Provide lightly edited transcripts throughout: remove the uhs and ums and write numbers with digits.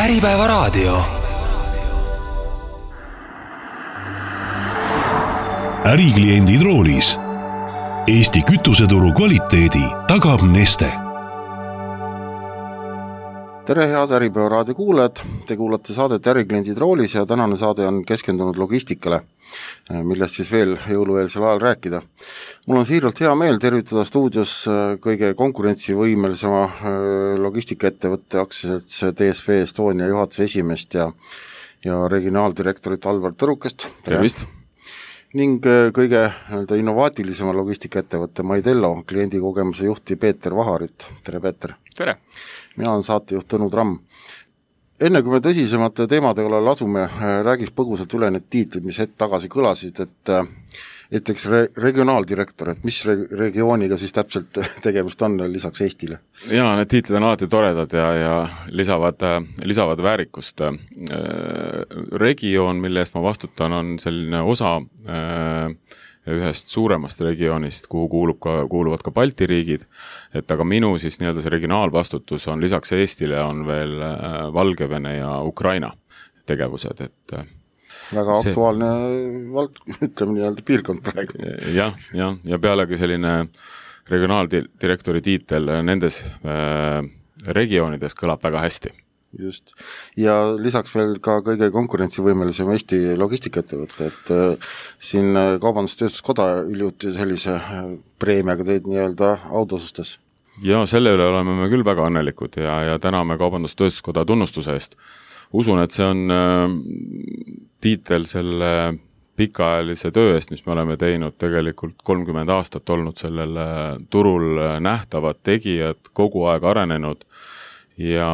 Äripäevaraadio. Ärikliendid roolis. Eesti kütuseturu kvaliteedi tagab Neste. Tere head Äripäevaraadio kuulajad, te kuulate saadet Ärikliendid roolis ja tänane saade on keskendunud logistikale, millest siis veel jõulueelsel ajal rääkida. Mul on siiralt hea meel tervitada stuudios kõige konkurentsivõimelisema logistikaettevõtte aktsiaselts DSV Estonia juhatuse esimeest ja regionaaldirektorit Alvar Tõrukest. Tervist! Ning kõige innovaatilisema logistikaettevõtte Maidello kliendikogemuse juhti Peeter Vaharit. Tere, Peeter! Tere! Mina olen saatejuht Tõnu Tramm. Enne kui me tõsisemate teemade kallal asume, räägiks põgusalt üle need tiitlid, mis hetk tagasi kõlasid, et eks regionaaldirektor, et mis regiooniga siis täpselt tegemist on lisaks Eestile? Jaa, need tiitlid on alati toredad ja lisavad väärikust. Regioon, mille eest ma vastutan, on selline osa ühest suuremast regioonist, kuhu kuuluvad ka Balti riigid, aga minu siis nii-öelda see regionaalvastutus on lisaks Eestile on veel Valgevene ja Ukraina tegevused, et väga aktuaalne ütleme nii-öelda piirkond praegu. Ja pealegi selline regionaaldirektori tiitel nendes regioonides kõlab väga hästi. Just. Ja lisaks veel ka kõige konkurentsivõimelisem Eesti logistikaettevõte, et siin Kaubandus-Tööstuskoda hiljuti sellise preemiaga teid nii-öelda autasustas. Ja selle üle oleme me küll väga õnnelikud ja täname Kaubandus-Tööstuskoda tunnustuse eest. Usun, et see on tiitel selle pikaajalise töö eest, mis me oleme teinud tegelikult 30 aastat olnud sellel turul nähtavad tegijad, kogu aeg arenenud ja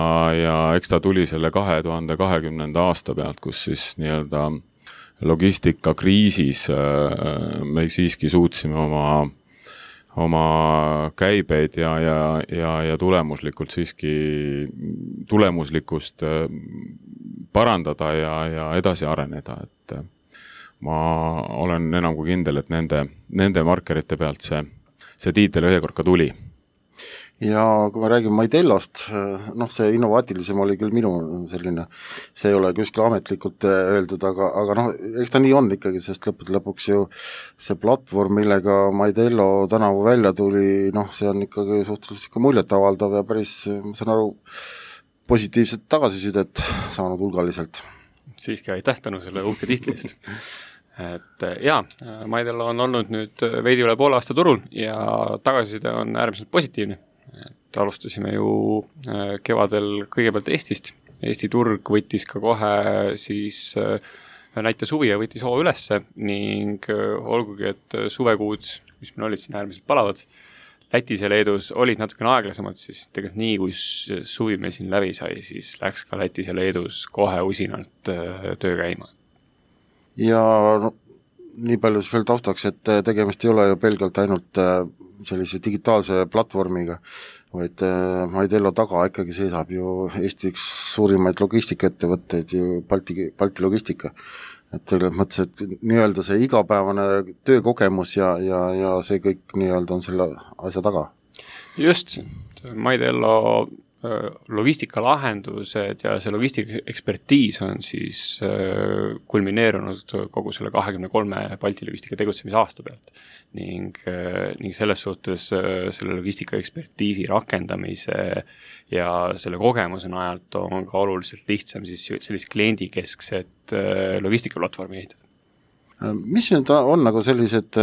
eks ta tuli selle 2020. aasta pealt, kus siis nii-öelda logistikakriisis me siiski suutsime oma käibeid ja tulemuslikkust parandada ja edasi areneda, et ma olen enam kui kindel, et nende markerite pealt see tiitel ühekord ka tuli. Ja kui me räägime Maidellost, see innovaatilisem oli küll minu selline, see ei ole kuskil ametlikult öeldud, aga eks ta nii on ikkagi, sest lõpuks ju see platvorm, millega Maidello tänavu välja tuli, see on ikkagi suhteliselt muljet avaldav ja päris, ma saan aru, positiivset tagasisidet saanud hulgaliselt. Siiski aitäh Tõnu selle uhke tiitlist. Et Maidello on olnud nüüd veidi üle poole aasta turul ja tagasiside on äärmiselt positiivne. Et alustasime ju kevadel kõigepealt Eestist. Eesti turg võttis ka kohe siis näite suvi ja võttis hoo ülesse ning olgugi, et suvekuud, mis meil olid siin äärmiselt palavad, Lätis ja Leedus olid natukene aeglasemad, siis tegelikult nii, kui suvi meil siin läbi sai, siis läks ka Lätis ja Leedus kohe usinalt töö käima. Ja nii palju siis veel taustaks, et tegemist ei ole ju pelgalt ainult sellise digitaalse platvormiga, vaid Maidello taga ikkagi seisab ju Eesti üks suurimaid logistikaettevõtteid, ju Balti logistika. Et selles mõttes, et nii-öelda see igapäevane töökogemus ja see kõik nii-öelda on selle asja taga. Just, Maidello logistikalahendused ja see logistika ekspertiis on siis kulmineerunud kogu selle 23 Balti logistika tegutsemise aasta pealt ning selles suhtes selle logistika ekspertiisi rakendamise ja selle kogemuse najalt on ka oluliselt lihtsam siis sellist kliendikeskset logistikaplatvormi ehitada. Mis nüüd on nagu sellised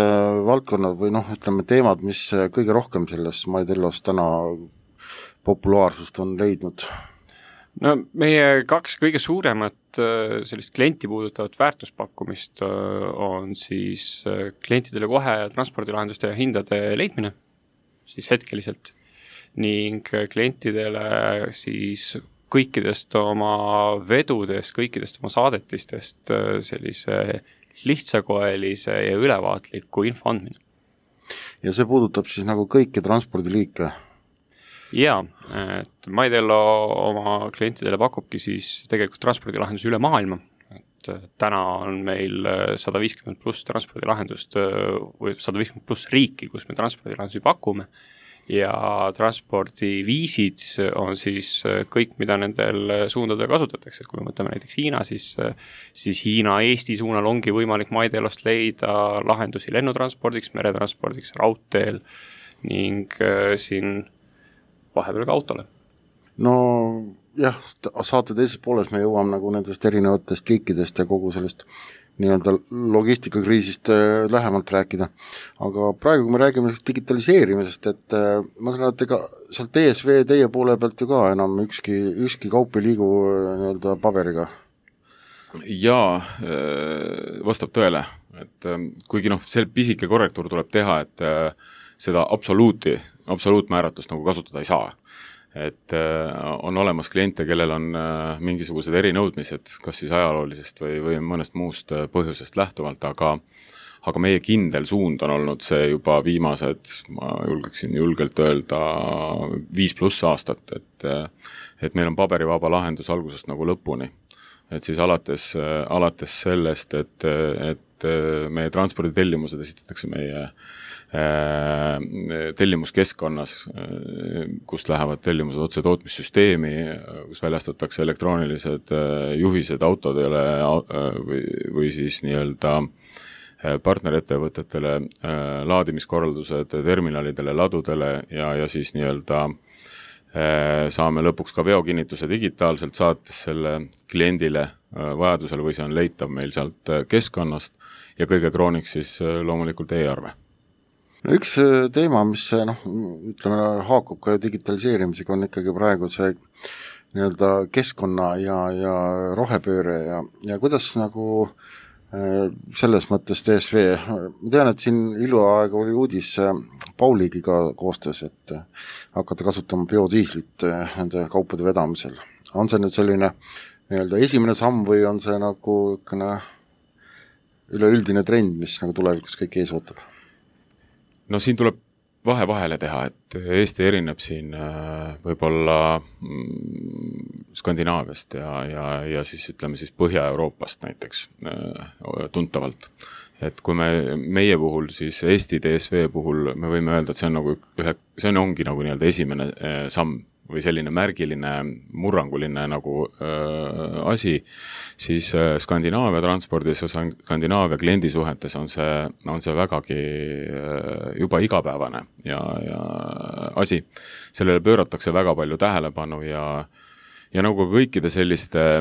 valdkonnad või ütleme teemad, mis kõige rohkem selles Maidellos täna populaarsust on leidnud? Meie kaks kõige suuremat sellist klienti puudutavat väärtuspakkumist on siis klientidele kohe transpordilahenduste ja hindade leidmine siis hetkeliselt ning klientidele siis kõikidest oma vedudest, kõikidest oma saadetistest sellise lihtsakoelise ja ülevaatliku info andmine. Ja see puudutab siis nagu kõiki transpordiliike? Jaa, et Maidello oma klientidele pakubki siis tegelikult transpordilahendus üle maailma. Et täna on meil 150 pluss transpordilahendust või 150 pluss riiki, kus me transpordilahendusi pakume ja transpordiviisid on siis kõik, mida nendel suundadel kasutatakse, et kui me mõtleme näiteks Hiina, siis Hiina-Eesti suunal ongi võimalik Maidelost leida lahendusi lennutranspordiks, meretranspordiks, raudteel ning siin vahepeal ka autole. No jah, saate teises pooles me jõuame nagu nendest erinevatest liikidest ja kogu sellest nii-öelda logistikakriisist lähemalt rääkida. Aga praegu, kui me räägime digitaliseerimisest, et ma saan, et ega sealt DSV teie poole pealt ju ka enam ükski kaup ei liigu nii-öelda paberiga. Jaa, vastab tõele, et kuigi see pisike korrektuur tuleb teha, et seda absoluutmääratust nagu kasutada ei saa. Et on olemas kliente, kellel on mingisugused erinõudmised, kas siis ajaloolisest või mõnest muust põhjusest lähtuvalt, aga meie kindel suund on olnud see juba viimased, ma julgeksin julgelt öelda 5+ aastat, et meil on paberivaba lahendus algusest nagu lõpuni. Et siis alates sellest, et meie transporditellimused esitatakse meie tellimuskeskkonnas, kust lähevad tellimused otse tootmissüsteemi, kus väljastatakse elektroonilised juhised autodele või siis nii-öelda partnerettevõtetele, laadimiskorraldused terminalidele, ladudele ja siis nii-öelda saame lõpuks ka veokinnituse digitaalselt saates selle kliendile vajadusel või see on leitav meil sealt keskkonnast ja kõige krooniks siis loomulikult e-arve. No üks teema, mis ütleme, haakub ka digitaliseerimisega, on ikkagi praegu see nii-öelda keskkonna ja rohepööre ja kuidas nagu selles mõttes DSV, ma tean, et siin iluaega oli uudis Pauligiga koostöös, et hakata kasutama biodiislit nende kaupade vedamisel. On see nüüd selline nii-öelda esimene samm või on see nagu üleüldine trend, mis nagu tulevikus kõik ees ootab? No siin tuleb vahele teha, et Eesti erineb siin võib-olla Skandinaaviast ja siis ütleme siis Põhja-Euroopast näiteks tuntavalt. Et kui meie puhul, siis Eesti DSV puhul me võime öelda, et see on nagu see ongi nagu nii-öelda esimene samm või selline märgiline, murranguline nagu asi, siis Skandinaavia transpordis ja Skandinaavia kliendisuhetes on see vägagi juba igapäevane ja asi. Sellele pööratakse väga palju tähelepanu ja nagu kõikide selliste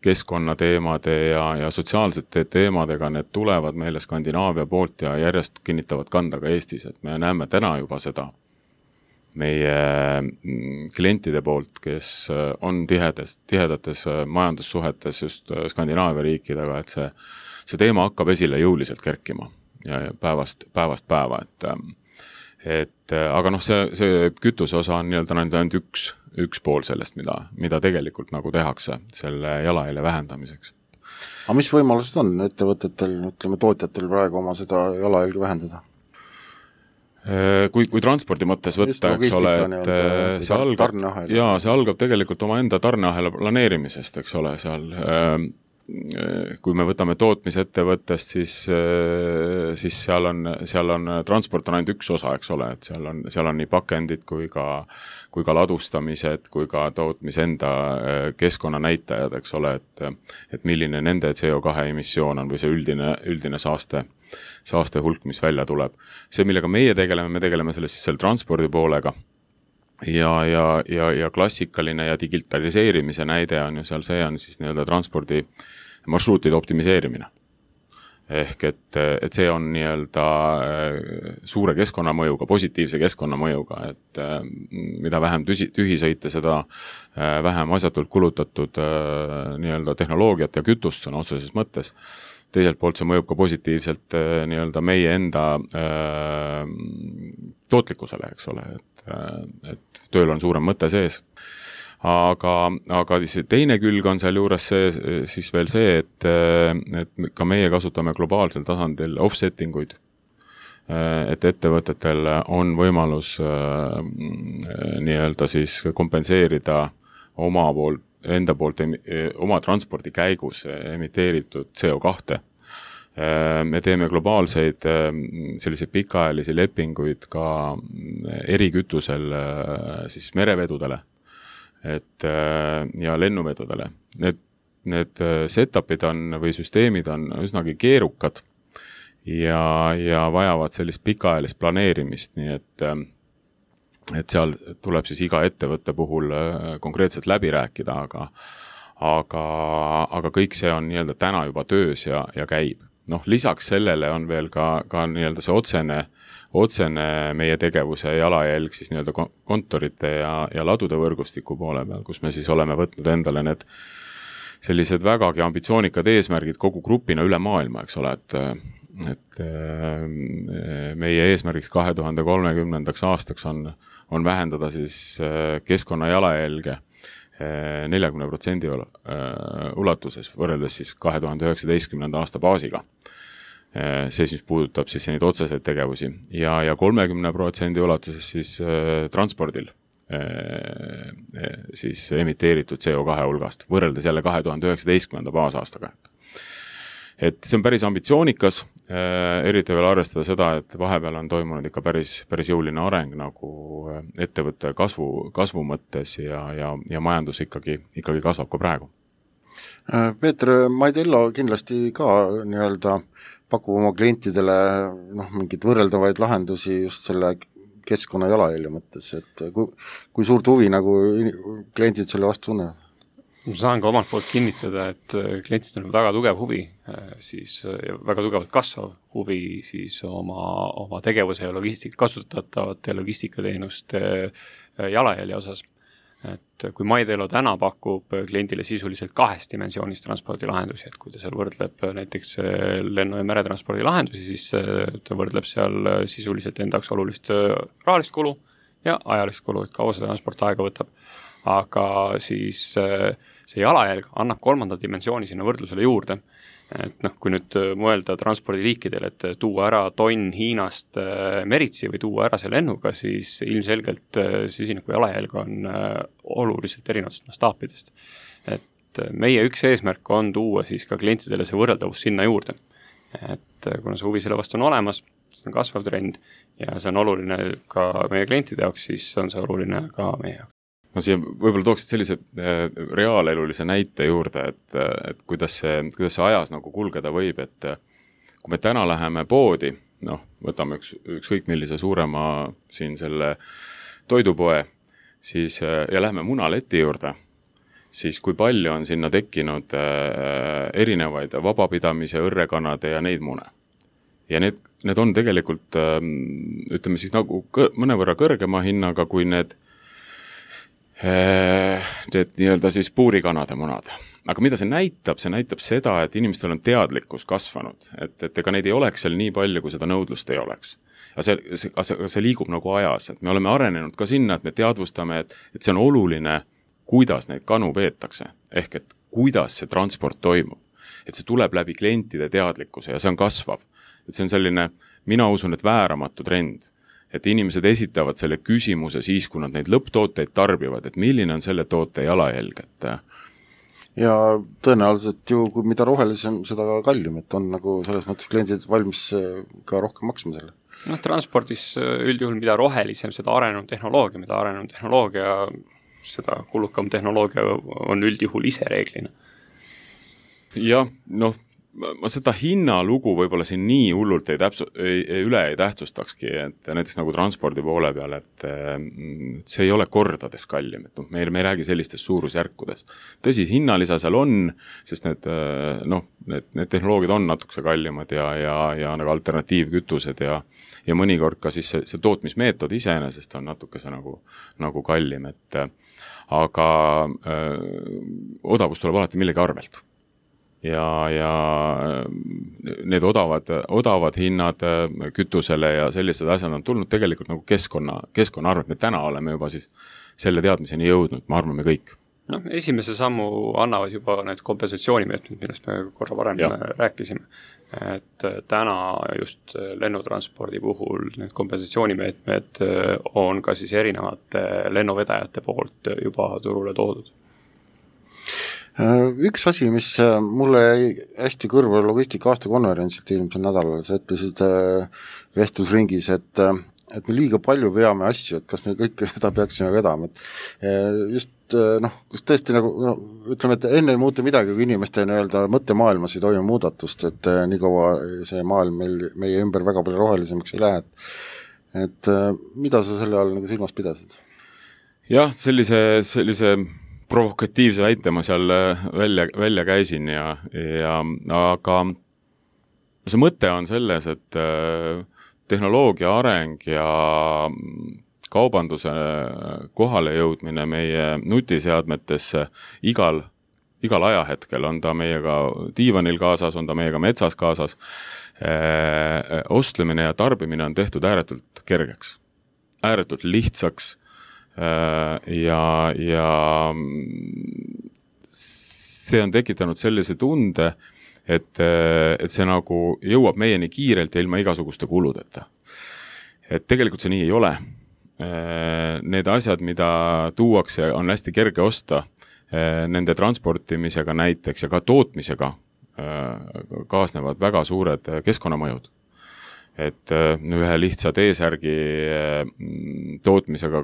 keskkonnateemade ja sotsiaalsete teemadega need tulevad meile Skandinaavia poolt ja järjest kinnitavad kanda ka Eestis, et me näeme täna juba seda meie klientide poolt, kes on tihedates majandussuhetes just Skandinaavia riikidega, et see teema hakkab esile jõuliselt kerkima ja päevast päeva, aga see kütuse osa on nii-öelda ainult üks pool sellest, mida tegelikult nagu tehakse selle jalajälje vähendamiseks. Aga mis võimalused on ettevõtetel, ütleme tootjatel praegu oma seda jalajälge vähendada? Kui transpordi mõttes võtta, eks ole, et see algab tegelikult oma enda tarneahela planeerimisest, eks ole, seal kui me võtame tootmisettevõttest, siis seal on transport on ainult üks osa, eks ole, et seal on nii pakendid kui ka ladustamised, kui ka tootmise enda keskkonnanäitajad, eks ole, et milline nende CO2 emissioon on või see üldine saaste hulk, mis välja tuleb. See, millega me tegeleme selle transpordi poolega ja klassikaline ja digitaliseerimise näide on ju seal, see on siis nii-öelda transpordi marsruutide optimiseerimine. Ehk et see on nii-öelda suure keskkonnamõjuga, positiivse keskkonnamõjuga, et mida vähem tühisõite, seda vähem asjatult kulutatud nii-öelda tehnoloogiat ja kütust on otseses mõttes. Teiselt poolt see mõjub ka positiivselt nii-öelda meie enda tootlikkusele, eks ole, et tööl on suurem mõte sees. Aga teine külg on seal juures siis veel see, et ka meie kasutame globaalsel tasandil offsettinguid, et ettevõtetel on võimalus nii-öelda siis kompenseerida oma transpordi käigus emiteeritud CO2 Me teeme globaalseid selliseid pikaajalisi lepinguid ka erikütusel siis merevedudele ja lennuvedudele. Need setupid või süsteemid on üsnagi keerukad ja vajavad sellist pikaajalist planeerimist, nii et seal tuleb siis iga ettevõtte puhul konkreetselt läbi rääkida, aga kõik see on nii-öelda täna juba töös ja käib. Lisaks sellele on veel ka nii-öelda see otsene meie tegevuse jalajälg siis nii-öelda kontorite ja ladude võrgustiku poole peal, kus me siis oleme võtnud endale need sellised vägagi ambitsioonikad eesmärgid kogu grupina üle maailma, eks ole, et meie eesmärgiks 2030. aastaks on vähendada siis keskkonna jalajälge 40% ulatuses võrreldes siis 2019. aasta baasiga. See siis puudutab siis neid otseseid tegevusi ja 30% ulatuses siis transpordil siis emiteeritud CO2 hulgast võrreldes jälle 2019. baasaastaga. Et see on päris ambitsioonikas, eriti veel arvestada seda, et vahepeal on toimunud ikka päris jõuline areng nagu ettevõtte kasvu mõttes ja majandus ikkagi kasvab ka praegu. Peeter, Maidello kindlasti ka nii-öelda pakub oma klientidele mingid võrreldavaid lahendusi just selle keskkonna jalajälje mõttes, et kui suurt huvi nagu kliendid selle vastu tunnevad? Ma saan ka omalt poolt kinnitada, et klientid on väga tugev huvi, siis väga tugevalt kasvav huvi siis oma tegevuse ja kasutatavate logistikateenuste jalajälje osas. Et kui Maidello täna pakub kliendile sisuliselt 2 dimensioonis transpordilahendusi, et kui ta seal võrdleb näiteks lennu- ja meretranspordi lahendusi, siis ta võrdleb seal sisuliselt endaks olulist rahalist kulu ja ajalist kulu, et kaua see transport aega võtab. Aga siis see jalajälg annab 3. dimensiooni sinna võrdlusele juurde. Et kui nüüd mõelda transpordiliikidel, et tuua ära tonn Hiinast meritsi või tuua ära see lennuga, siis ilmselgelt süsiniku jalajälg on oluliselt erinevatest mastaapidest. Et meie üks eesmärk on tuua siis ka klientidele see võrreldavus sinna juurde. Et kuna see huvi selle vastu on olemas, see on kasvav trend ja see on oluline ka meie klientide jaoks, siis on see oluline ka meie jaoks. Ma siia võib-olla tooksid sellise reaalelulise näite juurde, et kuidas see ajas nagu kulgeda võib, et kui me täna läheme poodi, võtame ükskõik millise suurema siin selle toidupoe, siis, ja läheme munaleti juurde, siis kui palju on sinna tekkinud erinevaid vabapidamise, õrrekanade ja neid mune. Ja need on tegelikult, ütleme siis nagu mõnevõrra kõrgema hinnaga kui need nii-öelda siis puurikanade munad. Aga mida see näitab? See näitab seda, et inimestel on teadlikkus kasvanud, et ega neid ei oleks seal nii palju, kui seda nõudlust ei oleks. Aga see liigub nagu ajas, et me oleme arenenud ka sinna, et me teadvustame, et see on oluline, kuidas neid kanu peetakse, ehk et kuidas see transport toimub. Et see tuleb läbi klientide teadlikkuse ja see on kasvav. Et see on selline, mina usun, et vääramatu trend. Et inimesed esitavad selle küsimuse siis, kui nad neid lõpptooteid tarbivad, et milline on selle toote jalajälg. Ja tõenäoliselt ju, kui mida rohelisem, seda kallim, et on nagu selles mõttes kliendid valmis ka rohkem maksma selle. Transpordis üldjuhul mida rohelisem, seda arenenud tehnoloogia, seda kulukam tehnoloogia on üldjuhul ise reeglina. Jah, ma seda hinnalugu võib-olla siin nii hullult üle ei tähtsustakski, et näiteks nagu transpordi poole peal, et see ei ole kordades kallim, et me ei räägi sellistest suurusjärkudest. Tõsi, hinnalisa seal on, sest need tehnoloogiad on natukese kallimad ja nagu alternatiivkütused ja mõnikord ka siis see tootmismeetod iseenesest on natukese nagu kallim, aga odavus tuleb alati millegi arvelt. Ja need odavad hinnad kütusele ja sellised asjad on tulnud tegelikult nagu keskkonna arvelt. Me täna oleme juba siis selle teadmiseni jõudnud, ma arvan, me kõik. Esimese sammu annavad juba need kompensatsioonimeetmed, millest me korra varem rääkisime. Et täna just lennutranspordi puhul need kompensatsioonimeetmed on ka siis erinevate lennuvedajate poolt juba turule toodud. Üks asi, mis mulle jäi hästi kõrva logistika aastakonverentsilt eelmisel nädalal, sa ütlesid vestlusringis, et me liiga palju veame asju, et kas me kõike seda peaksime vedama, et just kas tõesti nagu, ütleme, et enne ei muutu midagi, kui inimeste mõttemaailmas ei toimu muudatust, et nii kaua see maailm meie ümber väga palju rohelisemaks ei lähe, et mida sa selle all nagu silmas pidasid? Jah, sellise provokatiivse väite ma seal välja käisin aga see mõte on selles, et tehnoloogia areng ja kaubanduse kohale jõudmine meie nutiseadmetesse igal ajahetkel, on ta meiega diivanil kaasas, on ta meiega metsas kaasas, ostlemine ja tarbimine on tehtud ääretult kergeks, ääretult lihtsaks ja see on tekitanud sellise tunde, et see nagu jõuab meieni kiirelt ja ilma igasuguste kuludeta. Et tegelikult see nii ei ole. Need asjad, mida tuuakse, on hästi kerge osta, nende transportimisega näiteks ja ka tootmisega kaasnevad väga suured keskkonnamõjud. Et ühe lihtsa T-särgi tootmisega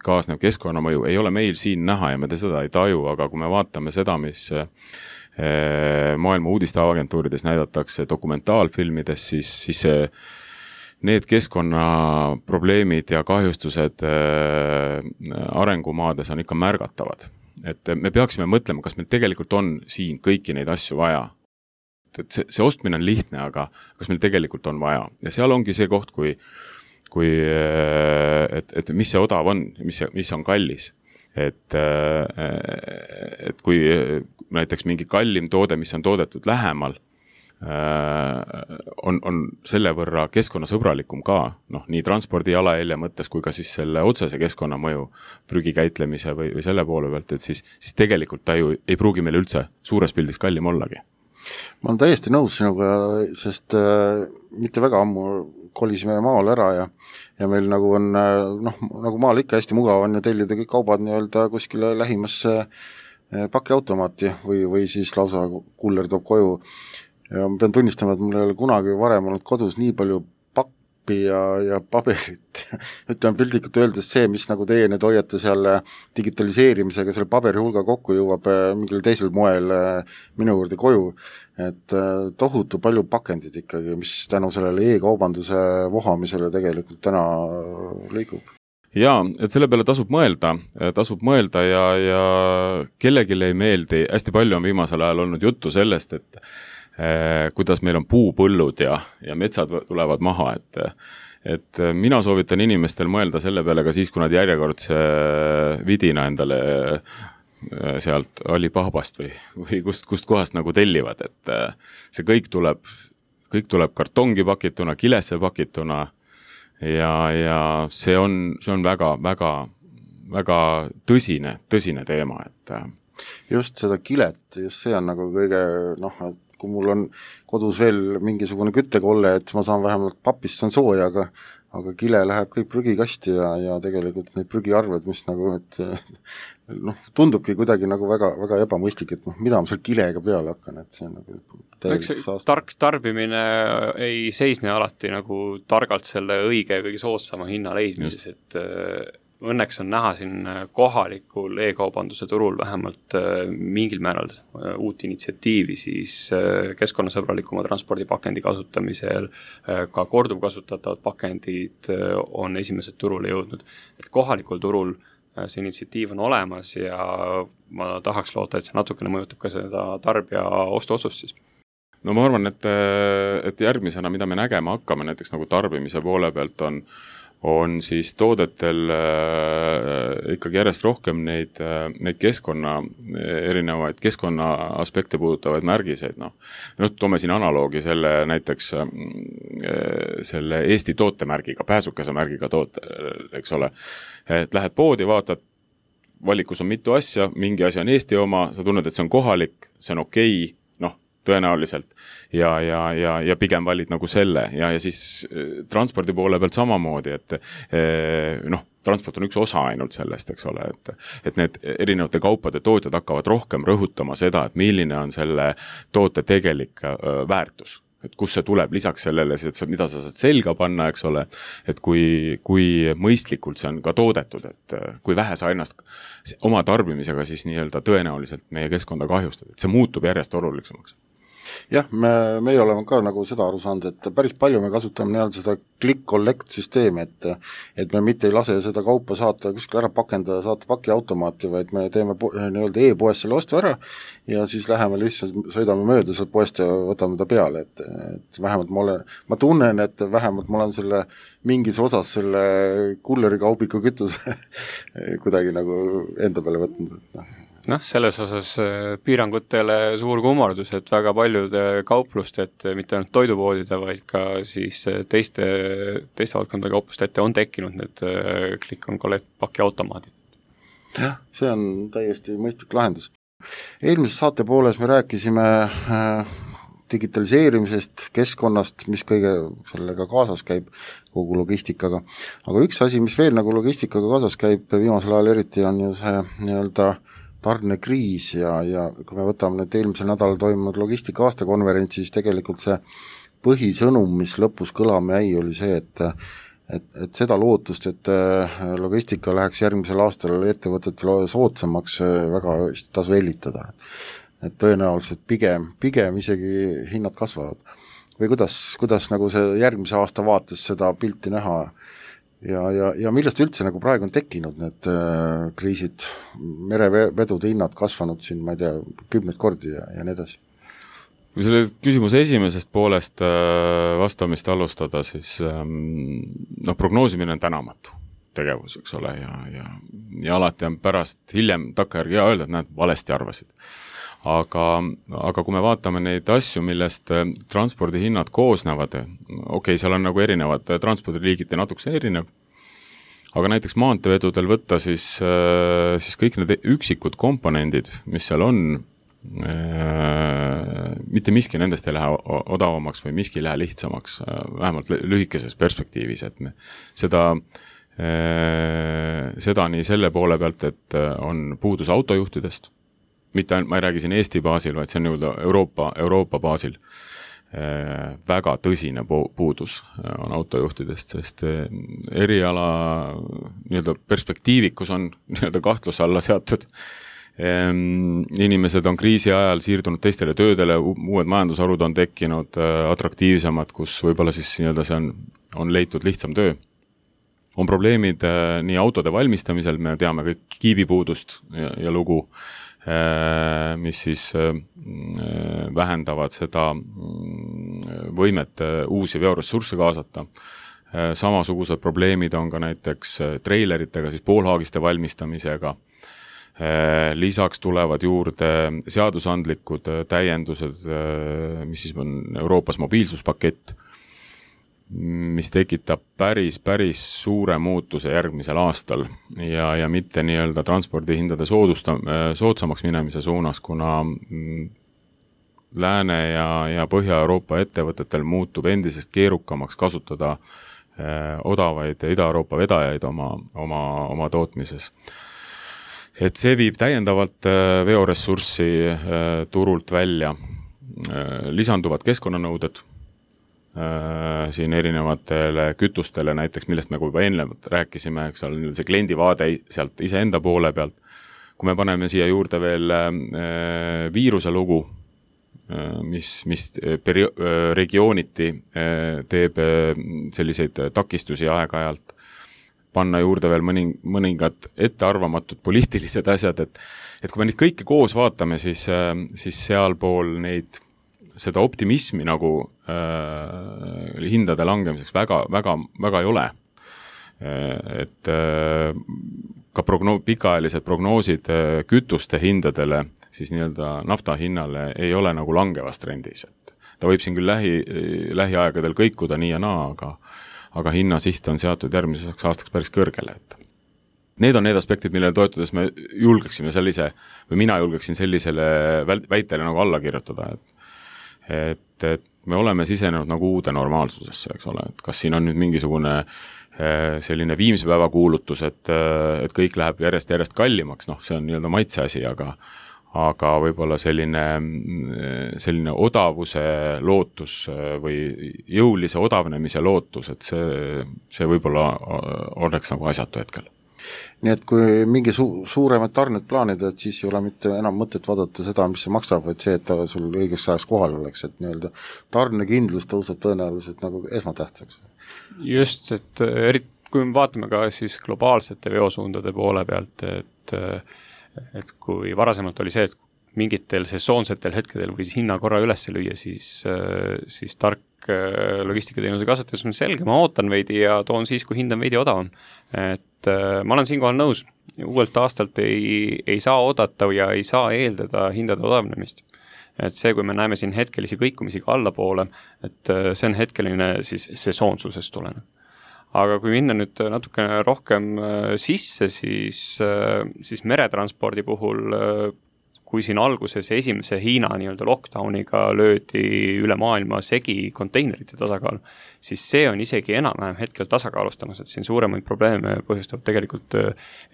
kaasnev keskkonnamõju ei ole meil siin näha ja me seda ei taju, aga kui me vaatame seda, mis maailma uudisteagentuurides näidatakse dokumentaalfilmides, siis need keskkonnaprobleemid ja kahjustused arengumaades on ikka märgatavad. Et me peaksime mõtlema, kas meil tegelikult on siin kõiki neid asju vaja. Et see ostmine on lihtne, aga kas meil tegelikult on vaja. Ja seal ongi see koht, et mis see odav on, mis on kallis. Et kui näiteks mingi kallim toode, mis on toodetud lähemal, on selle võrra keskkonnasõbralikum ka, nii transpordi jalajälje mõttes kui ka siis selle otsese keskkonnamõju prügikäitlemise või selle poole pealt, et siis tegelikult ta ju ei pruugi meil üldse suures pildis kallim ollagi. Ma olen täiesti nõus sinuga, sest mitte väga ammu kolisime maal ära ja meil nagu on, nagu maal ikka hästi mugav on ja tellida kõik kaubad kuskile lähimasse pakiautomaati või siis lausa kuller toob koju. Ja ma pean tunnistama, et mul ei ole kunagi varem olnud kodus nii palju pappi ja paberit. Ütleme piltlikult öeldes see, mis nagu teie need hoiate seal digitaliseerimisega selle paberi hulga kokku jõuab mingil teisel moel minu juurde koju. Et tohutu palju pakendid ikkagi, mis tänu sellele e-kaubanduse vohamisele tegelikult täna liigub. Jaa, et selle peale tasub mõelda ja kellelgi ei meeldi, hästi palju on viimasel ajal olnud juttu sellest, et kuidas meil on puupõllud ja metsad tulevad maha, et mina soovitan inimestel mõelda selle peale ka siis, kui nad järjekordse vidina endale sealt Alibabast või kust kohast nagu tellivad, et see kõik tuleb kartongi pakituna, kilesse pakituna ja see on väga, väga, väga tõsine teema, et just seda kilet, just see on nagu kõige, kui mul on kodus veel mingisugune küttekolle, et ma saan vähemalt papist on sooja, aga kile läheb kõik prügikasti ja tegelikult need prügiarved, mis nagu, tundubki kuidagi nagu väga, väga ebamõistlik, et mida ma seal kilega peale hakkan, et see on nagu tark tarbimine ei seisne alati nagu targalt selle õige ja kõige soodsama hinna leidmises, et õnneks on näha siin kohalikul e-kaubanduse turul vähemalt mingil määral uut initsiatiivi siis keskkonnasõbralikuma transpordipakendi kasutamisel, ka korduvkasutatavad pakendid on esimesed turule jõudnud. Et kohalikul turul see initsiatiiv on olemas ja ma tahaks loota, et see natukene mõjutab ka seda tarbija ostuotsust siis. No ma arvan, et järgmisena, mida me nägema hakkame näiteks nagu tarbimise poole pealt on siis toodetel ikkagi järjest rohkem neid erinevaid keskkonna aspekte puudutavaid märgiseid. Toome siin analoogi selle näiteks selle Eesti tootemärgiga, pääsukese märgiga toote, eks ole. Et lähed poodi, vaatad, valikus on mitu asja, mingi asi on Eesti oma, sa tunned, et see on kohalik, see on okei, tõenäoliselt ja pigem valid nagu selle ja siis transpordi poole pealt samamoodi, et transport on üks osa ainult sellest, eks ole, et need erinevate kaupade tootjad hakkavad rohkem rõhutama seda, et milline on selle toote tegelik väärtus. Et kus see tuleb lisaks sellele, mida sa saad selga panna, eks ole, et kui mõistlikult see on ka toodetud, et kui vähe sa ennast oma tarbimisega siis nii-öelda tõenäoliselt meie keskkonda kahjustad, et see muutub järjest olulisemaks. Jah, meie oleme ka nagu seda aru saanud, et päris palju me kasutame nii-öelda seda click-collect süsteemi, et me mitte ei lase seda kaupa saata kuskil ära pakendada, saata pakiautomaati, vaid me teeme nii-öelda e-poes selle ostu ära ja siis läheme lihtsalt, sõidame mööda sealt poest ja võtame ta peale, et vähemalt ma tunnen, et vähemalt ma olen selle mingis osas selle kulleri kaubiku kütuse kuidagi nagu enda peale võtnud, selles osas piirangutele suur kummardus, et väga paljude kaupluste, et mitte ainult toidupoodide, vaid ka siis teiste valdkondade kaupluste ette on tekkinud need click-on-collect pakiautomaadid. Jah, see on täiesti mõistlik lahendus. Eelmises saate pooles me rääkisime digitaliseerimisest, keskkonnast, mis kõige sellega kaasas käib, kogu logistikaga. Aga üks asi, mis veel nagu logistikaga kaasas käib viimasel ajal eriti, on ju see nii-öelda tarnekriis ja kui me võtame nüüd eelmisel nädalal toimunud logistika aastakonverentsi, siis tegelikult see põhisõnum, mis lõpus kõlama jäi, oli see, et seda lootust, et logistika läheks järgmisel aastal ettevõtetele soodsamaks, väga tasu hellitada. Et tõenäoliselt pigem isegi hinnad kasvavad. Või kuidas nagu see järgmise aasta vaates seda pilti näha ja millest üldse nagu praegu on tekkinud need kriisid, merevedude hinnad kasvanud siin, ma ei tea, 10 kordi ja nii edasi. Kui selle küsimuse esimesest poolest vastamist alustada, siis prognoosimine on tänamatu tegevus, eks ole, ja alati on pärast hiljem takkajärgi öelda, et näed, valesti arvasid. Aga kui me vaatame neid asju, millest transpordihinnad koosnevad, seal on nagu erinevad transpordiliigid ja natukese erinev, aga näiteks maanteevedudel võtta siis kõik need üksikud komponendid, mis seal on, mitte miski nendest ei lähe odavamaks või miski ei lähe lihtsamaks, vähemalt lühikeses perspektiivis, et me seda nii selle poole pealt, et on puudus autojuhtidest, mitte ainult, ma ei räägi siin Eesti baasil, vaid see on Euroopa baasil. Väga tõsine puudus on autojuhtidest, sest eriala nii-öelda perspektiivikus on nii-öelda kahtluse alla seatud. Inimesed on kriisi ajal siirdunud teistele töödele, uued majandusharud on tekkinud atraktiivsemad, kus võib-olla siis nii-öelda see on leitud lihtsam töö. On probleemid nii autode valmistamisel, me teame kõik kiibipuudust ja lugu, mis siis vähendavad seda võimet uusi veoressursse kaasata. Samasugused probleemid on ka näiteks treileritega, siis poolhaagiste valmistamisega. Lisaks tulevad juurde seadusandlikud täiendused, mis siis on Euroopas mobiilsuspakett, mis tekitab päris suure muutuse järgmisel aastal ja mitte nii-öelda transpordihindade soodsamaks minemise suunas, kuna Lääne ja Põhja-Euroopa ettevõtetel muutub endisest keerukamaks kasutada odavaid Ida-Euroopa vedajaid oma tootmises. Et see viib täiendavalt veoressurssi turult välja. Lisanduvad keskkonnanõuded siin erinevatele kütustele näiteks, millest me juba ennevalt rääkisime, eks ole, see kliendi vaade sealt iseenda poole pealt. Kui me paneme siia juurde veel viiruse lugu, mis regiooniti teeb selliseid takistusi aeg-ajalt, panna juurde veel mõningad ettearvamatud poliitilised asjad, et kui me neid kõike koos vaatame, siis sealpool seda optimismi nagu hindade langemiseks väga ei ole. Et ka pikaajalised prognoosid kütuste hindadele, siis nii-öelda nafta hinnale ei ole nagu langevas trendis. Et ta võib siin küll lähiaegadel kõikuda nii ja naa, aga hinnasiht on seatud järgmiseks aastaks päris kõrgele. Et need on need aspektid, millele toetudes me julgeksime mina julgeksin sellisele väitele nagu alla kirjutada, et me oleme sisenenud nagu uude normaalsusesse, eks ole, et kas siin on nüüd mingisugune selline viimse päeva kuulutus, et kõik läheb järjest kallimaks, noh, see on nii-öelda maitse asi, aga võib-olla selline odavuse lootus või jõulise odavnemise lootus, et see võib-olla oleks nagu asjatu hetkel. Nii et kui mingi suuremad tarned plaanida, et siis ei ole mitte enam mõtet vaadata seda, mis see maksab, vaid see, et ta sul õigeks ajaks kohal oleks, et nii-öelda tarnekindlus tõuseb tõenäoliselt nagu esmatähtsaks. Just, et kui me vaatame ka siis globaalsete veosuundade poole pealt, et kui varasemalt oli see, et mingitel sesoonsetel hetkedel võis hinna korra üles lüüa, siis tark logistikateenuse kasutatus on selge, ma ootan veidi ja toon siis, kui hind on veidi odavam. Et ma olen siinkohal nõus, uuelt aastalt ei saa oodata ja ei saa eeldada hindade odavnemist. Et see, kui me näeme siin hetkelisi kõikumisi ka allapoole, et see on hetkeline siis sesoonsusest tulenev. Aga kui minna nüüd natukene rohkem sisse, siis meretranspordi puhul, kui siin alguses esimese Hiina nii-öelda lockdowniga löödi üle maailma segi konteinerite tasakaal, siis see on isegi enam-vähem hetkel tasakaalustamas, et siin suuremaid probleeme põhjustab tegelikult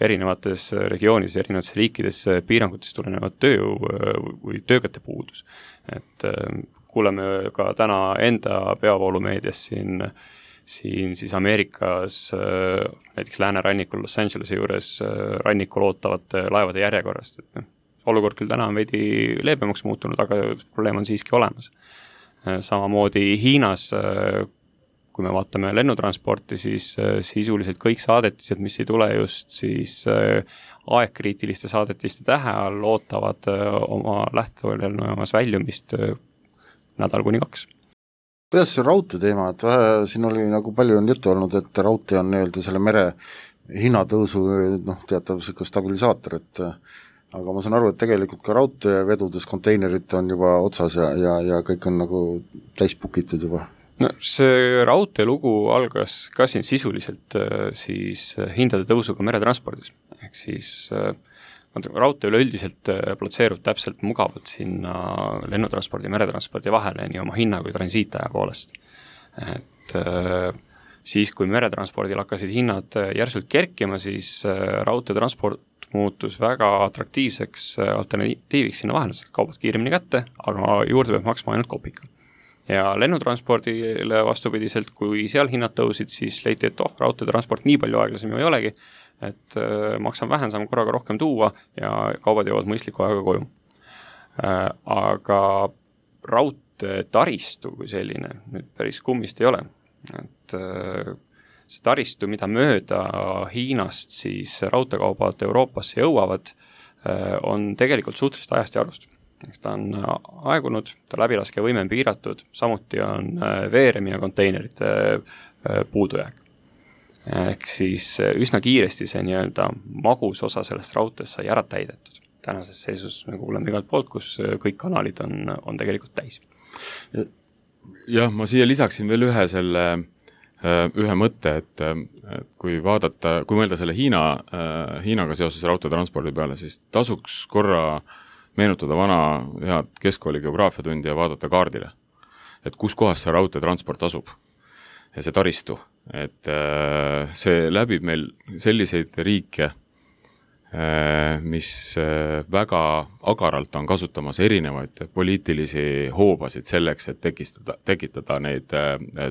erinevates regioonides, erinevates riikides piirangutest tulenevad tööjõu või töökäte puudus. Et kuuleme ka täna enda peavoolumeedias siin siis Ameerikas, näiteks läänerannikul Los Angelese juures rannikul ootavate laevade järjekorrast, et olukord küll täna on veidi leebemaks muutunud, aga probleem on siiski olemas. Samamoodi Hiinas, kui me vaatame lennutransporti, siis sisuliselt kõik saadetised, mis ei tule just siis aegkriitiliste saadetiste tähe all, ootavad oma lähtelennujamas väljumist nädal kuni 2. Kuidas see raudtee teema, et siin oli nagu palju on juttu olnud, et raudtee on nii-öelda selle mere hinnatõusu teatav stabilisaator, et aga ma saan aru, et tegelikult ka raudteevedudes konteinerid on juba otsas ja kõik on nagu täispukitud juba. No, see raudteelugu algas ka siin sisuliselt siis hindade tõusuga meretranspordis. Ehk siis raudtee üleüldiselt platseerub täpselt mugavalt sinna lennutranspordi ja meretranspordi vahele nii oma hinna kui transiitaja poolest. Et siis, kui meretranspordil hakkasid hinnad järsult kerkima, siis raudteetransport muutus väga atraktiivseks alternatiiviks sinna vahele, sest kaubad kiiremini kätte, aga juurde peab maksma ainult kopika. Ja lennutranspordile vastupidiselt, kui seal hinnad tõusid, siis leiti, et raudteetransport nii palju aeglasem ju ei olegi, et maksan vähem, saame korraga rohkem tuua ja kaubad jõuavad mõistliku aega koju. Aga raudteetaristu kui selline nüüd päris kummist ei ole. Et see taristu, mida mööda Hiinast siis raudteekaubad Euroopasse jõuavad, on tegelikult suhteliselt ajast ja arvust. Ta on aegunud, ta läbilaskevõime on piiratud, samuti on veeremi ja konteinerite puudujääk. Ehk siis üsna kiiresti see nii-öelda magus osa sellest raudteest sai ära täidetud. Tänases seisus me kuuleme igalt poolt, kus kõik kanalid on tegelikult täis. Jah, ma siia lisaksin veel ühe mõtte, et kui mõelda selle Hiinaga seoses raudteetranspordi peale, siis tasuks korra meenutada vana head keskkooli geograafiatundi ja vaadata kaardile, et kus kohas see raudteetransport asub ja see taristu, et see läbib meil selliseid riike, mis väga agaralt on kasutamas erinevaid poliitilisi hoobasid selleks, et tekitada neid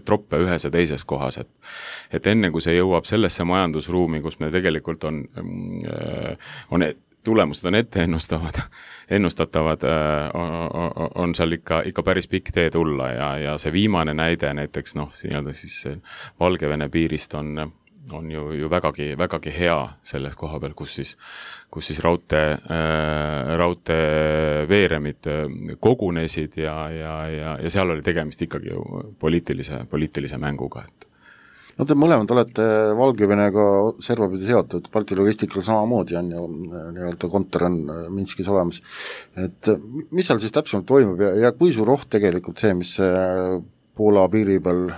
troppe ühes ja teises kohas, et enne kui see jõuab sellesse majandusruumi, kus me tegelikult on tulemused on ette ennustatavad, on seal ikka päris pikk tee tulla ja see viimane näide näiteks siis Valgevene piirist on ju vägagi hea selles koha peal, kus siis raudtee veeremid kogunesid ja seal oli tegemist ikkagi ju poliitilise mänguga. No te mõlemad olete Valgevenega servapidi seotud, Balti logistikal samamoodi on ju nii-öelda kontor on Minskis olemas. Et mis seal siis täpsemalt toimub ja kui suur oht tegelikult see, mis Poola piiri peal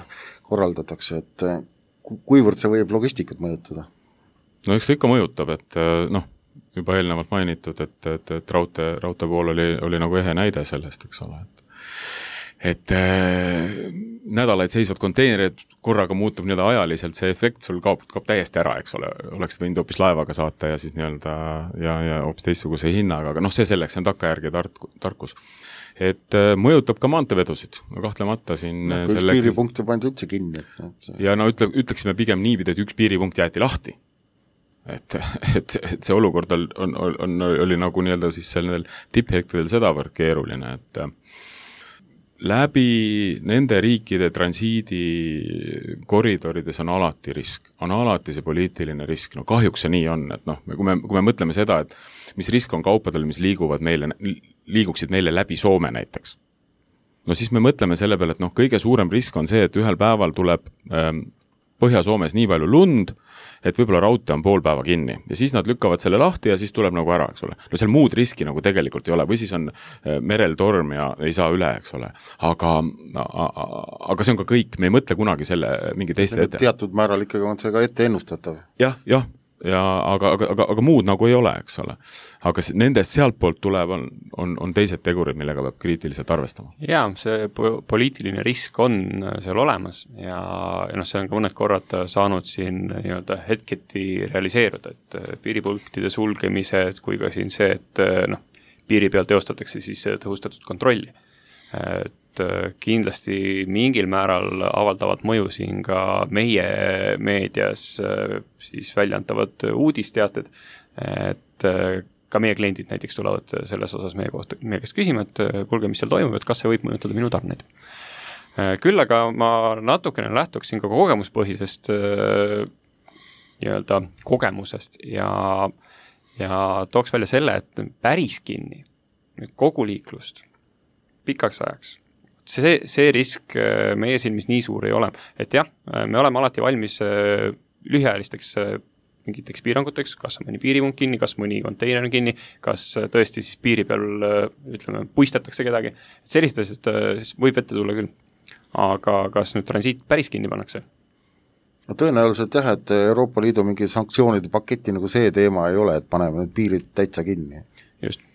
korraldatakse, et kuivõrd see võib logistikat mõjutada? No eks ta ikka mõjutab, et juba eelnevalt mainitud, et raudtee pool oli nagu ehe näide sellest, eks ole. et nädalaid seisvad konteinerid korraga muutub nii-öelda ajaliselt, see efekt sul kaob täiesti ära, eks ole, oleks võinud hoopis laevaga saata ja siis nii-öelda ja hoopis teistsuguse hinnaga, aga see selleks on takkajärgi tarkus. Et mõjutab ka maanteevedusid, no kahtlemata siin üks piiripunkt juba ainult üldse kinni. Ja ütleksime pigem niipidi, et üks piiripunkt jäeti lahti. Et see olukord oli nagu nii-öelda siis sellel tipphektidel sedavõrd keeruline, et läbi nende riikide transiidi koridorides on alati risk, on alati see poliitiline risk, no kahjuks see nii on, et kui me mõtleme seda, et mis risk on kaupadel, mis liiguksid meile läbi Soome näiteks, no siis me mõtleme selle peale, et kõige suurem risk on see, et ühel päeval tuleb Põhja-Soomes nii palju lund, et võib-olla raudtee on pool päeva kinni ja siis nad lükkavad selle lahti ja siis tuleb nagu ära, eks ole. No seal muud riski nagu tegelikult ei ole või siis on merel torm ja ei saa üle, eks ole. Aga see on ka kõik, me ei mõtle kunagi selle mingi teiste ette. Teatud määral ikkagi on see ka ette ennustatav. Jah, aga muud nagu ei ole, eks ole. Aga nendest sealt poolt tulev on teised tegurid, millega peab kriitiliselt arvestama. Jaa, see poliitiline risk on seal olemas ja see on ka mõned korrad saanud siin nii-öelda hetketi realiseeruda, et piiripunktide sulgemised kui ka siin see, et piiri peal teostatakse siis tõhustatud kontrolli. Et kindlasti mingil määral avaldavad mõju siin ka meie meedias siis väljaantavad uudisteated, et ka meie kliendid näiteks tulevad selles osas meie käest küsima, et kuulge, mis seal toimub, et kas see võib mõjutada minu tarneid. Küll aga ma natukene lähtuksin ka kogemuspõhisest nii-öelda kogemusest ja tooks välja selle, et päris kinni kogu liiklust pikaks ajaks. See risk meie silmis nii suur ei ole. Et jah, me oleme alati valmis lühiajalisteks mingiteks piiranguteks, kas on mõni piiripunkt kinni, kas mõni konteiner on kinni, kas tõesti siis piiri peal, puistatakse kedagi. Sellised asjad võib ette tulla küll. Aga kas nüüd transiit päris kinni pannakse? No tõenäoliselt jah, et Euroopa Liidu mingi sanktsioonide paketi nagu see teema ei ole, et paneme nüüd piirid täitsa kinni. Just.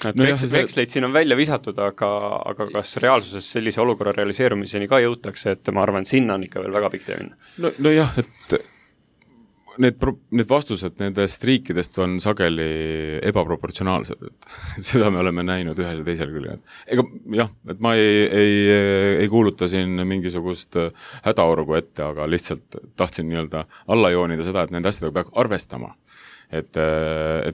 Veksleid siin on välja visatud, aga kas reaalsuses sellise olukorra realiseerumiseni ka jõutakse, et ma arvan, sinna on ikka veel väga pikk tee minna. No jah, et need vastused nendest riikidest on sageli ebaproportsionaalsed, et seda me oleme näinud ühel ja teisel küll. Ega jah, et ma ei kuuluta siin mingisugust hädaorgu ette, aga lihtsalt tahtsin nii-öelda alla joonida seda, et nende asjadega peab arvestama. Et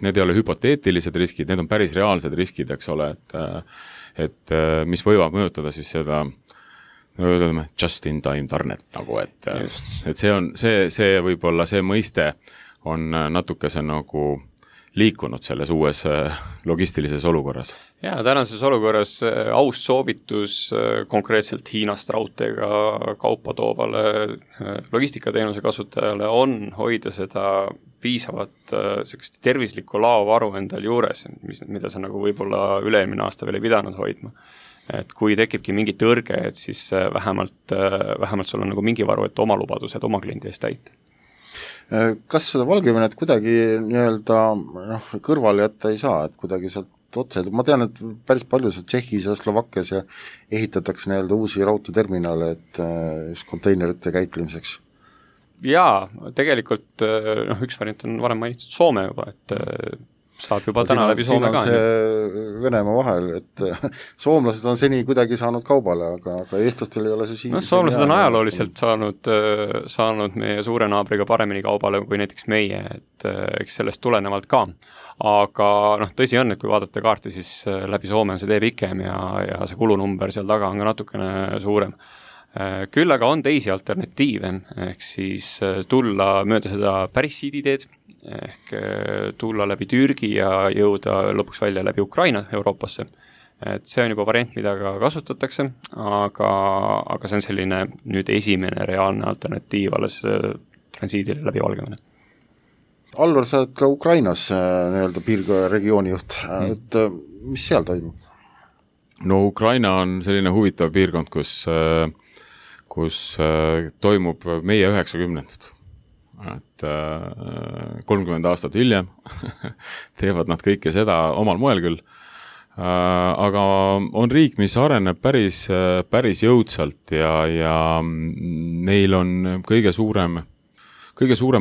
need ei ole hüpoteetilised riskid, need on päris reaalsed riskid, eks ole, et mis võivad mõjutada siis seda just-in-time tarnet nagu, et see võib-olla see mõiste on natukese nagu liikunud selles uues logistilises olukorras. Ja tänases olukorras aus soovitus konkreetselt Hiinast raudteega kaupa toovale logistikateenuse kasutajale on hoida seda piisavat tervislikku laovaru endal juures, mida sa nagu võib-olla üle-eelmine aasta veel ei pidanud hoidma. Et kui tekibki mingi tõrge, et siis vähemalt sul on nagu mingi varu, et oma lubadused oma kliendi eest täita. Kas seda Valgevenet kuidagi nii-öelda kõrvale jätta ei saa, et kuidagi sealt otse, ma tean, et päris palju seal Tšehhis ja Slovakkias ja ehitatakse nii-öelda uusi raudteeterminale, et just konteinerite käitlemiseks? Jaa, tegelikult üks variant on varem mainitud Soome juba, et saab juba täna läbi Soome ka. Siin on see Venemaa vahel, et soomlased on seni kuidagi saanud kaubale, aga eestlastel ei ole see siin. Soomlased on ajalooliselt saanud meie suure naabriga paremini kaubale kui näiteks meie, et eks sellest tulenevalt ka. Aga tõsi on, et kui vaadata kaarti, siis läbi Soome on see tee pikem ja see kulunumber seal taga on ka natukene suurem. Küll aga on teisi alternatiive, ehk siis tulla mööda seda päris siiditeed, ehk tulla läbi Türgi ja jõuda lõpuks välja läbi Ukraina Euroopasse. Et see on juba variant, mida ka kasutatakse, aga see on selline nüüd esimene reaalne alternatiiv alles transiidile läbi Valgevene. Alvar, sa oled ka Ukrainas nii-öelda piirregiooni juht, et mis seal toimub? No Ukraina on selline huvitav piirkond, kus toimub meie 90-ndad. Et 30 aastat hiljem teevad nad kõike seda omal moel küll, aga on riik, mis areneb päris jõudsalt ja neil on kõige suurem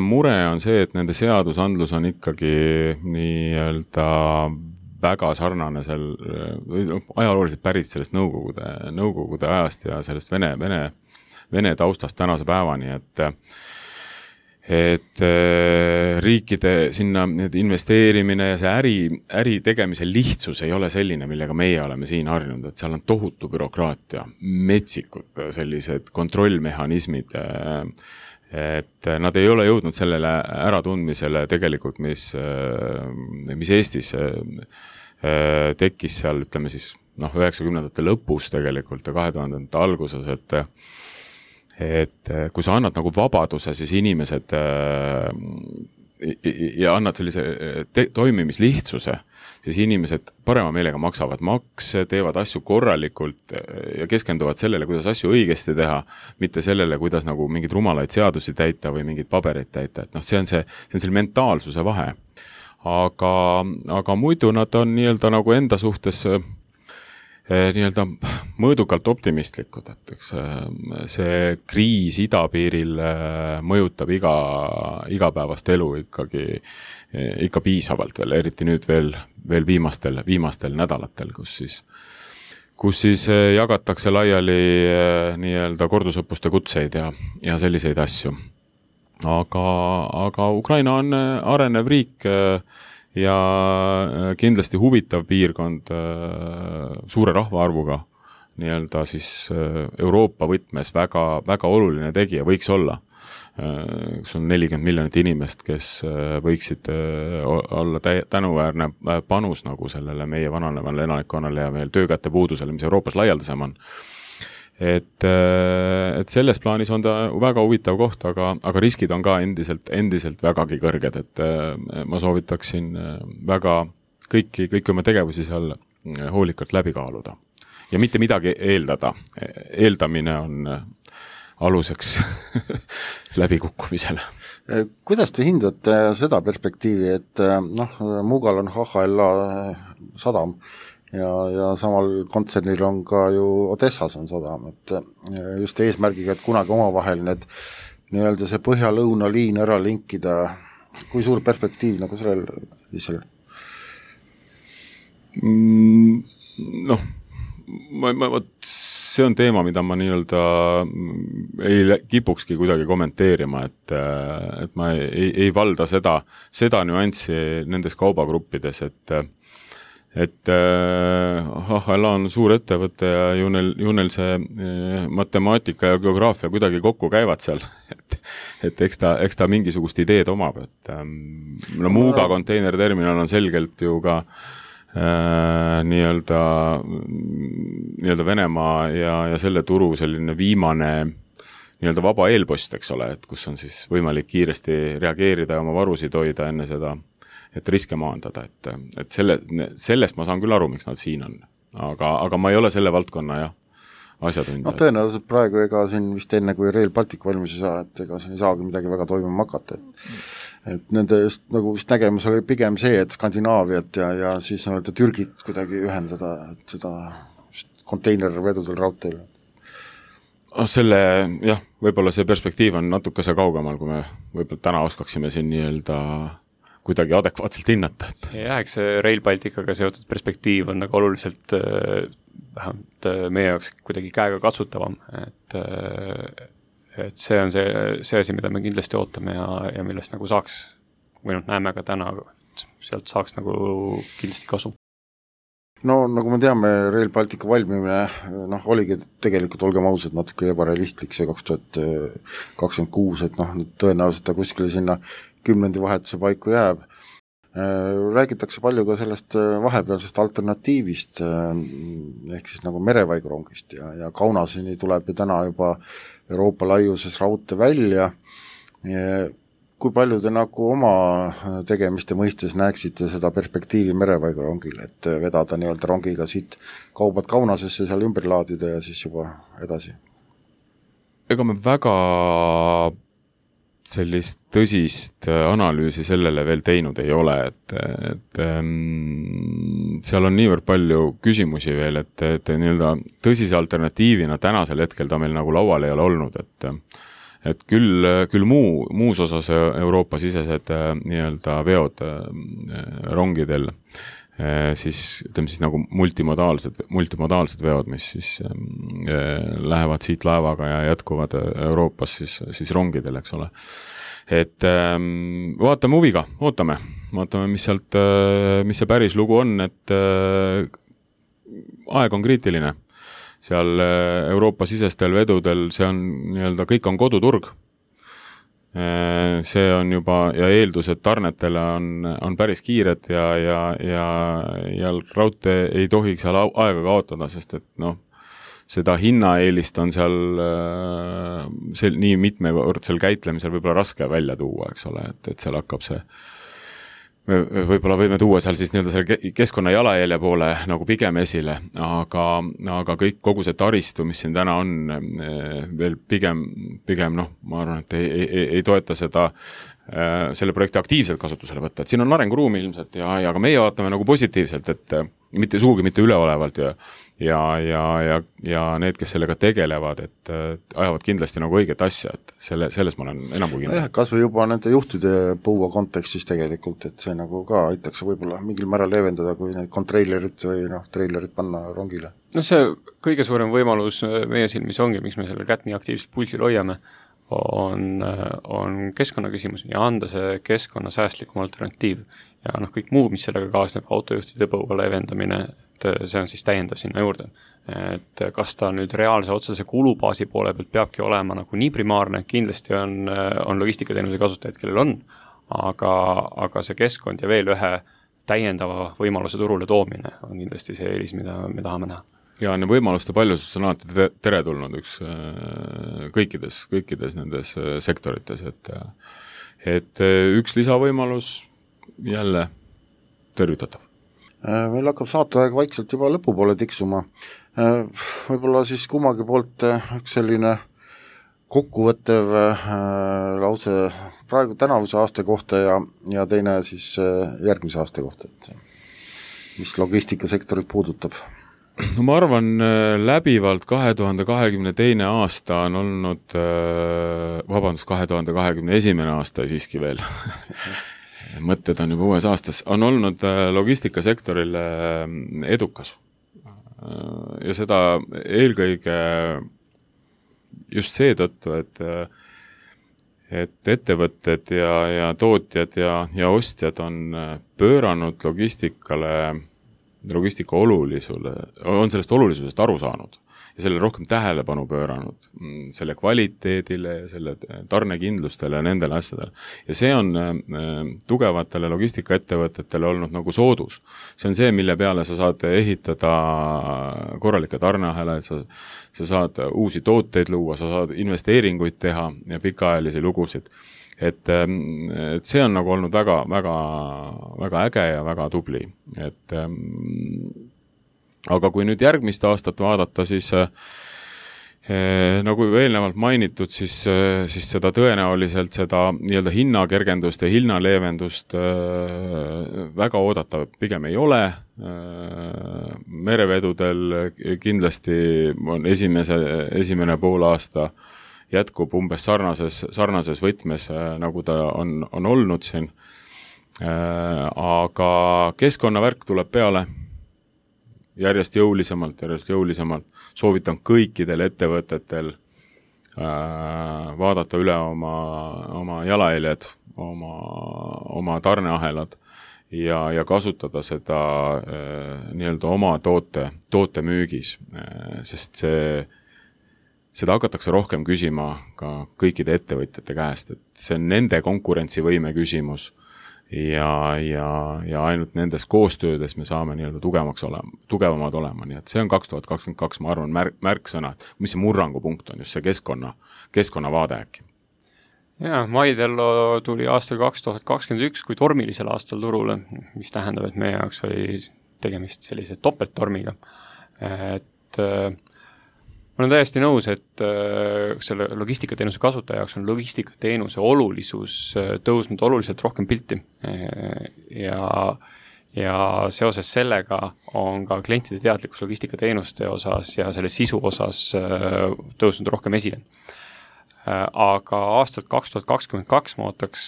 mure on see, et nende seadusandlus on ikkagi nii-öelda väga sarnane ajalooliselt pärit sellest nõukogude ajast ja sellest Vene taustast tänase päevani, et riikide sinna investeerimine ja see äri tegemise lihtsus ei ole selline, millega meie oleme siin harjunud, et seal on tohutu bürokraatia, metsikud sellised kontrollmehhanismid, et nad ei ole jõudnud sellele äratundmisele tegelikult, mis Eestis tekkis seal, ütleme siis 90ndate lõpus tegelikult ja 2000ndate alguses, et kui sa annad nagu vabaduse, siis inimesed ja annad sellise toimimislihtsuse, siis inimesed parema meelega maksavad makse, teevad asju korralikult ja keskenduvad sellele, kuidas asju õigesti teha, mitte sellele, kuidas nagu mingeid rumalaid seadusi täita või mingeid pabereid täita. Et see on selle mentaalsuse vahe. Aga muidu nad on nii-öelda nagu enda suhtes nii-öelda mõõdukalt optimistlikud, et see kriis idapiiril mõjutab igapäevast elu ikka piisavalt veel, eriti nüüd veel viimastel nädalatel, kus siis jagatakse laiali nii-öelda kordusõppuste kutseid ja selliseid asju. Aga Ukraina on arenev riik ja kindlasti huvitav piirkond suure rahvaarvuga, nii-öelda siis Euroopa võtmes väga, väga oluline tegija võiks olla. Kus on 40 miljonit inimest, kes võiksid olla tänuväärne panus nagu sellele meie vananevale elanikkonnale ja veel töökäte puudusele, mis Euroopas laialdasem on. Et selles plaanis on ta väga huvitav koht, aga riskid on ka endiselt vägagi kõrged, et ma soovitaksin väga kõiki oma tegevusi seal hoolikalt läbi kaaluda. Ja mitte midagi eeldada. Eeldamine on aluseks läbikukkumisele. Kuidas te hindate seda perspektiivi, et Muugal on HHLA sadam, ja samal kontsernil on ka ju Odessas on sadam, et just eesmärgiga, et kunagi omavahel need nii-öelda see põhja-lõuna liin ära linkida, kui suur perspektiiv nagu sellel? See on teema, mida ma nii-öelda ei kipukski kuidagi kommenteerima, et ma ei valda seda nüanssi nendes kaubagruppides, et HHLA on suur ettevõte ja ju neil see matemaatika ja geograafia kuidagi kokku käivad seal, et eks ta mingisugust ideed omab, et Muuga konteinerterminal on selgelt ju ka nii-öelda Venemaa ja selle turu selline viimane nii-öelda vaba eelpost, eks ole, et kus on siis võimalik kiiresti reageerida ja oma varusid hoida enne seda, et riske maandada, et sellest ma saan küll aru, miks nad siin on. Aga ma ei ole selle valdkonna asjatundja. Tõenäoliselt praegu ega siin vist enne, kui Rail Baltic valmis ei saa, et ega siin ei saagi midagi väga toimuma hakata. Et nende just nagu vist nägemus oli pigem see, et Skandinaaviat ja siis Türgit kuidagi ühendada, et seda konteinervedudel raudteel. Võib-olla see perspektiiv on natukese kaugemal, kui me võib-olla täna oskaksime siin nii-öelda kuidagi adekvaatselt hinnata. Eks see Rail Balticaga seotud perspektiiv on nagu oluliselt vähemalt meie jaoks kuidagi käega katsutavam, et see on see asi, mida me kindlasti ootame ja millest nagu saaks, või näeme ka täna, et sealt saaks nagu kindlasti kasu. No nagu me teame, Rail Baltica valmimine oligi tegelikult, olgem ausad, natuke ebarealistlik see 2026, et tõenäoliselt ta kuskile sinna 10. vahetuse paiku jääb. Räägitakse palju ka sellest vahepealsest alternatiivist, ehk siis nagu merevaigrongist ja Kaunaseni tuleb ju täna juba Euroopa laiuses raudtee välja. Kui palju te nagu oma tegemiste mõistes näeksite seda perspektiivi merevaigrongile, et vedada nii-öelda rongiga siit kaubad Kaunasesse seal ümber laadida ja siis juba edasi? Ega me väga sellist tõsist analüüsi sellele veel teinud ei ole, et seal on niivõrd palju küsimusi veel, et nii-öelda tõsise alternatiivina tänasel hetkel ta meil nagu laual ei ole olnud, et küll muus osas Euroopa-sisesed nii-öelda veod rongidel, siis ütleme siis nagu multimodaalsed veod, mis siis lähevad siit laevaga ja jätkuvad Euroopas siis rongidel, eks ole. Et vaatame huviga, ootame, mis see päris lugu on, et aeg on kriitiline. Seal Euroopa-sisestel vedudel, see on nii-öelda, kõik on koduturg. See on juba, ja eeldused tarnetele on päris kiired ja raudtee ei tohiks seal aega kaotada, sest et seda hinnaeelist on seal nii mitmekordsel käitlemisel võib-olla raske välja tuua, eks ole, et seal hakkab see, võib-olla võime tuua seal siis nii-öelda selle keskkonna jalajälje poole nagu pigem esile, aga kogu see taristu, mis siin täna on, veel pigem ma arvan, et ei toeta selle projekti aktiivselt kasutusele võtta, et siin on arenguruumi ilmselt ja ka meie vaatame nagu positiivselt, et sugugi mitte üleolevalt ja need, kes sellega tegelevad, et ajavad kindlasti nagu õiget asja, et selles ma olen enam kui kindel. Kas või juba nende juhtide põua kontekstis tegelikult, et see nagu ka aitaks võib-olla mingil määral leevendada, kui need kontreilerid või treilerid panna rongile. See kõige suurem võimalus meie silmis ongi, miks me selle kätt nii aktiivselt pulsil hoiame, on keskkonna küsimus ja anda see keskkonna säästlikum alternatiiv. Ja kõik muu, mis sellega kaasneb, autojuhtide põua leevendamine, et see on siis täiendav sinna juurde. Et kas ta nüüd reaalse otsese kulubaasi poole pealt peabki olema nagu nii primaarne, kindlasti on logistikateenuse kasutajaid, kellel on, aga see keskkond ja veel ühe täiendava võimaluse turule toomine on kindlasti see eelis, mida me tahame näha. Ja võimaluste paljusus on alati teretulnud kõikides nendes sektorites, et üks lisavõimalus jälle tervitatav. Meil hakkab saateaeg vaikselt juba lõpupoole tiksuma. Võib-olla siis kummagi poolt üks selline kokkuvõttev lause praegu tänavuse aasta kohta ja teine siis järgmise aasta kohta, et mis logistikasektorit puudutab. No ma arvan, läbivalt 2022. aasta on olnud, 2021. aasta siiski veel, mõtted on juba uues aastas, on olnud logistikasektorile edukas. Ja seda eelkõige just seetõttu, et ettevõtted ja tootjad ja ostjad on pööranud logistika olulisule, on sellest olulisusest aru saanud ja selle rohkem tähelepanu pööranud selle kvaliteedile ja selle tarnekindlustele ja nendele asjadele. Ja see on tugevatele logistikaettevõtetele olnud nagu soodus. See on see, mille peale sa saad ehitada korralikke tarneahelaid, sa saad uusi tooteid luua, sa saad investeeringuid teha ja pikaajalisi lugusid. Et see on nagu olnud väga, väga, väga äge ja väga tubli. Aga kui nüüd järgmist aastat vaadata, siis nagu eelnevalt mainitud, siis seda tõenäoliselt seda nii-öelda hinnakergendust ja hinnaleevendust väga oodata pigem ei ole. Merevedudel kindlasti on esimene poolaasta jätkub umbes sarnases võtmes, nagu ta on olnud siin. Aga keskkonnavärk tuleb peale järjest jõulisemalt. Soovitan kõikidel ettevõtetel vaadata üle oma jalajäljed, oma tarneahelad ja kasutada seda nii-öelda oma toote müügis, sest seda hakatakse rohkem küsima ka kõikide ettevõtjate käest, et see on nende konkurentsivõime küsimus ja ainult nendes koostöödes me saame nii-öelda tugevamad olema, nii et see on 2022, ma arvan, märksõna, mis see murrangupunkt on, just see keskkonnavaade äkki. Ja, Maidello tuli aastal 2021 kui tormilisel aastal turule, mis tähendab, et meie jaoks oli tegemist sellise topelttormiga, et ma olen täiesti nõus, et selle logistikateenuse kasutaja jaoks on logistikateenuse olulisus tõusnud oluliselt rohkem pilti ja ja seoses sellega on ka klientide teadlikkus logistikateenuste osas ja selle sisu osas tõusnud rohkem esile. Aga aastat 2022 ma ootaks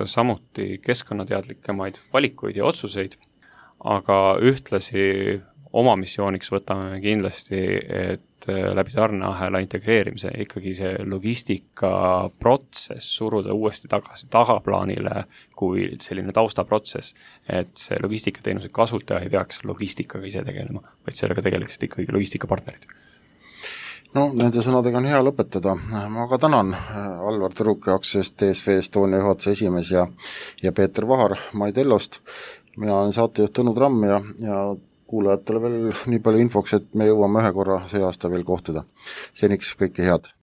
samuti keskkonnateadlikemaid valikuid ja otsuseid, aga ühtlasi oma missiooniks võtame kindlasti, et läbi tarneahela integreerimise ikkagi see logistikaprotsess suruda uuesti tagasi tagaplaanile kui selline taustaprotsess, et see logistikateenuse kasutaja ei peaks logistikaga ise tegelema, vaid sellega tegeleksid ikkagi logistikapartnerid. No nende sõnadega on hea lõpetada. Ma ka tänan Alvar Tõruke aktsiast DSV Estonia juhatuse esimees ja Peeter Vahar Maidellost. Mina olen saatejuht Tõnu Tramm ja kuulajatele veel nii palju infoks, et me jõuame ühe korra see aasta veel kohtuda. Seniks kõike head!